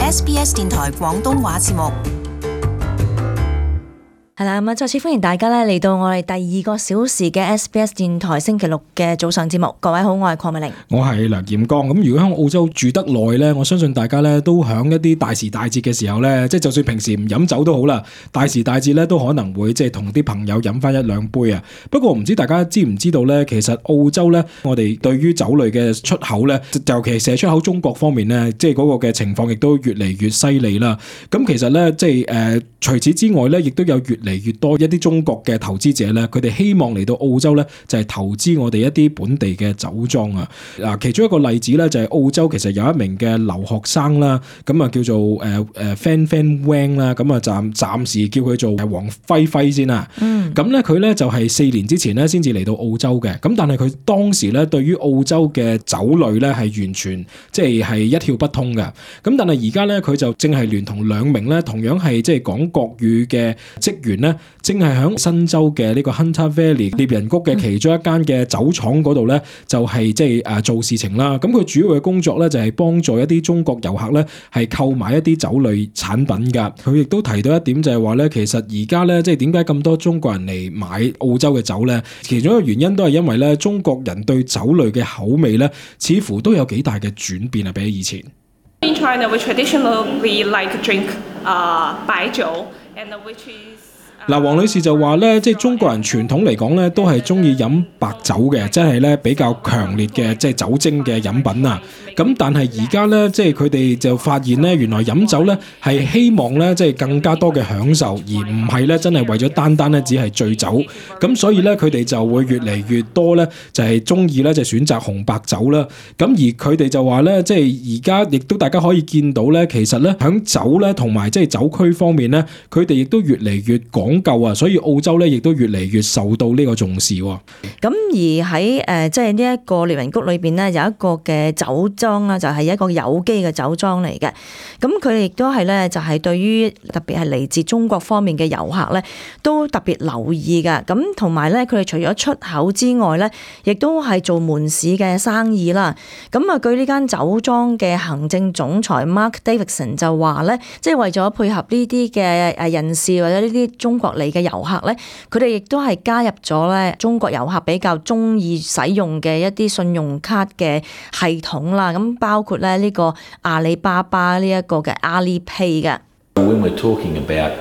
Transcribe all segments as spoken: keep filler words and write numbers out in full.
S B S 電台廣東話節目。係啦，咁啊，再次歡迎大家咧嚟到我哋第二個小時嘅 S B S 電台星期六嘅早上節目。各位好，我係鄺美玲，我係梁劍剛。咁如果喺澳洲住得耐咧，我相信大家咧都響一啲大時大節嘅時候咧，即係就算平時唔飲酒都好啦，大時大節咧都可能會即係同啲朋友飲翻一兩杯啊。不過唔知大家知唔知道咧，其實澳洲咧，我哋對於酒類嘅出口咧，尤其係射出口中國方面咧，即係嗰個嘅情況亦都越嚟越犀利啦。咁其實咧，即係誒，除此之外咧，亦都有越嚟嚟越多一啲中國嘅投資者咧，佢哋希望嚟到澳洲咧，就係投資我哋一啲本地嘅酒莊啊。嗱，其中一個例子咧，就係澳洲其實有一名嘅留學生啦，咁啊叫做誒誒 Fan Fan Wang 啦，咁啊暫暫時叫佢做黃輝輝先啦。嗯，咁咧佢咧就係四年之前咧先至嚟到澳洲嘅，咁但係佢當時咧對於澳洲嘅酒類咧係完全即係係一竅不通嘅。咁但係而家咧佢就正係聯同兩名咧同樣係即係講國語嘅職員咧，正係喺新州嘅呢個 Hunter Valley 獵人谷嘅其中一間嘅酒廠嗰度咧，就係即係誒做事情啦。咁佢主要嘅工作咧就係幫助一啲中國遊客咧係購買一啲酒類產品㗎。佢亦都提到一點就係話咧，其實而家咧即係點解咁多中國人嚟買澳洲嘅酒咧？其中一個原因都係因為咧中國人對酒類嘅口味咧，似乎都有幾大嘅轉變啊，比起以前。In China, we traditionally like to drink uh, 白酒 and which is嗱，黃女士就話咧，即係中國人傳統嚟講咧，都係中意飲白酒嘅，即係咧比較強烈嘅即係酒精嘅飲品啊。咁但係而家咧，即係佢哋就發現咧，原來飲酒咧係希望咧即係更加多嘅享受，而唔係咧真係為咗單單咧只係醉酒。咁所以咧，佢哋就會越嚟越多咧，就係中意咧就選擇紅白酒啦。咁而佢哋就話咧，即係而家亦都大家可以見到咧，其實咧響酒咧同埋即係酒區方面咧，佢哋亦都越嚟越講夠啊，所以澳洲咧亦都越嚟越受到呢個重視。咁而喺誒即係呢一個獵人谷裏邊咧，有一個嘅酒莊啦，就係一個有機嘅酒莊嚟嘅。咁佢哋亦都係咧，就係對於特別係嚟自中國方面嘅遊客咧，都特別留意㗎。咁同埋咧，佢哋除咗出口之外咧，亦都係做門市嘅生意啦。咁啊，據呢間酒莊嘅行政總裁 Mark Davidson 就話咧，即係為咗配合呢啲嘅誒人士或者呢啲中國嚟嘅遊客咧，佢哋亦都係加入咗咧中國遊客比較中意使用嘅一啲信用卡嘅系統啦。咁包括咧呢個阿里巴巴呢一個嘅 Alipay 嘅。When we're talking about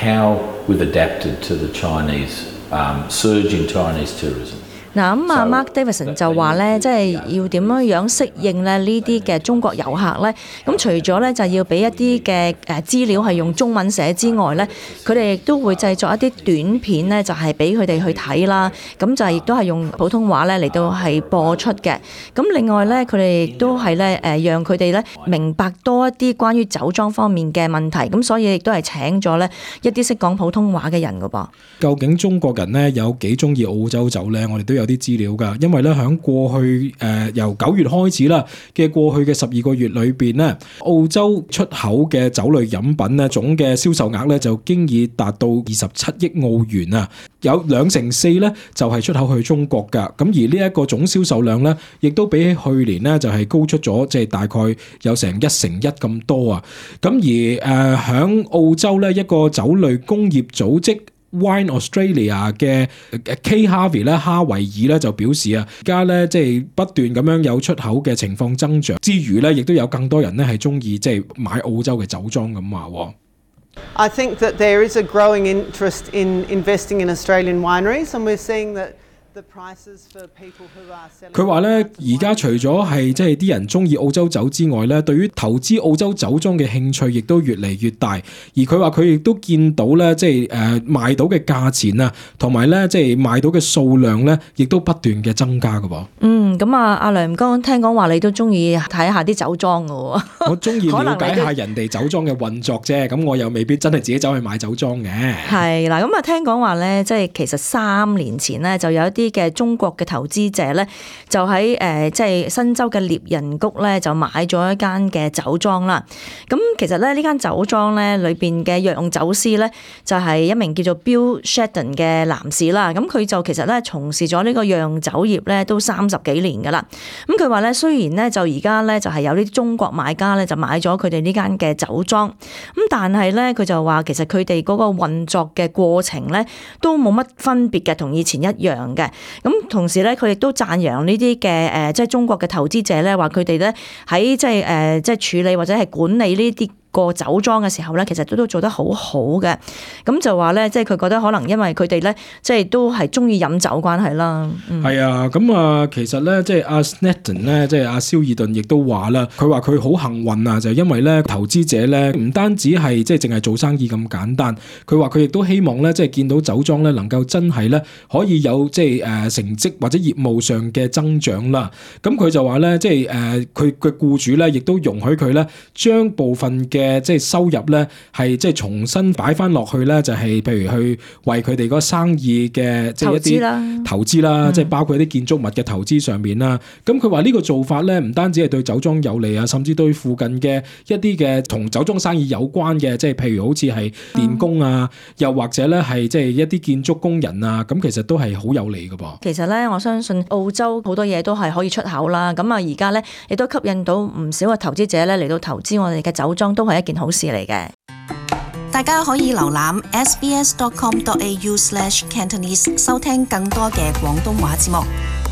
how we've adapted to the Chinese um, surge in Chinese tourism.嗱咁啊 ，Mark Davidson 就話咧，即係要點樣樣適應咧呢啲嘅中國遊客咧。咁除咗咧就要俾一啲嘅誒資料係用中文寫之外咧，佢哋亦都會製作一啲短片咧，就係俾佢哋去睇啦。咁就係亦都係用普通話咧嚟到係播出嘅。咁另外咧，佢哋亦都係咧誒，讓佢哋咧明白多一啲關於酒莊方面嘅問題。咁所以亦都係請咗咧一啲識講普通話嘅人噶噃。究竟中國人咧有幾中意澳洲酒咧？我哋都有啲資料㗎，因為咧喺過去誒、呃、由九月開始啦嘅過去嘅十二個月裏邊咧，澳洲出口嘅酒類飲品咧總嘅銷售額咧就經已達到二十七億澳元啊，有兩成四咧就係、是、出口去中國㗎。咁而呢一個總銷售量咧，亦都比起去年咧就係、是、高出咗，即、就、係、是、大概有成一成一咁多啊。咁而誒喺、呃、澳洲咧一個酒類工業組織Wine Australia 嘅 Kay Harvey 咧，哈維爾咧就表示啊，而家咧即係不斷咁樣有出口嘅情況增長之餘咧，亦都有更多人咧係中意即係買澳洲嘅酒莊咁話。I think that there is a growing interest in investing in Australian wineries, and we're seeing that.佢話咧，而家除咗係即係啲人中意澳洲酒之外咧，對於投資澳洲酒莊嘅興趣亦都越嚟越大。而佢話佢亦都見到咧，即係誒賣到嘅價錢啊，同埋咧即係賣到嘅數量咧，亦都不斷嘅增加㗎噃。嗯，咁啊，阿梁剛聽講話你都中意睇下啲酒莊㗎喎。我中意了解下人哋酒莊嘅運作啫，咁我又未必真係自己走去買酒莊嘅。係啦，咁啊聽講話咧，即係其實三年前咧就有一啲啲嘅中國嘅投資者咧，就喺誒即係新州嘅獵人谷咧，就買咗一間嘅酒莊啦。咁其實咧呢間酒莊咧裏邊嘅釀酒師咧，就係一名叫做 Bill Shedden 嘅男士啦。咁佢就其實咧從事咗呢個釀酒業咧都三十幾年噶啦。咁佢話咧，雖然咧就而家咧就係有啲中國買家咧就買咗佢哋呢間嘅酒莊，咁但係咧佢就話其實佢哋嗰個運作嘅過程咧都冇乜分別嘅，同以前一樣嘅。咁同時咧佢亦都讚揚呢啲嘅誒即係中國嘅投資者咧，話佢哋咧喺即係誒即係處理或者係管理呢啲個酒莊嘅時候咧，其實都都做得好好嘅。咁就話咧，即係佢覺得可能因為佢哋咧，即係都係中意飲酒關係啦。係、嗯、啊，咁啊，其實咧，即係阿 Shedden 咧，即係阿蕭爾頓亦都話啦，佢話佢好幸運啊，就係因為咧投資者咧唔單止係即係淨係做生意咁簡單，佢話佢亦都希望咧，即係見到酒莊咧能夠真係咧可以有即係誒成績或者業務上嘅增長啦。咁佢就話咧，即係誒佢嘅僱主咧，亦都容許佢咧將部分嘅嘅即係收入咧，係即係重新擺翻落去咧，就係譬如去為佢哋嗰生意嘅即係一啲投資啦，即係包括一啲建築物嘅投資上面啦。咁佢話呢個做法咧，唔單止係對酒莊有利啊，甚至對附近嘅一啲嘅同酒莊生意有關嘅，即係譬如好似係電工啊，又或者咧係即係一啲建築工人啊，咁其實都係好有利㗎噃。其實咧，我相信澳洲好多嘢都係可以出口啦。咁啊，而家咧亦都吸引到唔少嘅投資者咧嚟到投資我哋嘅酒莊，都係一件好事嚟嘅。大家可以瀏覽 s b s dot com dot a u slash cantonese 收聽更多嘅廣東話節目。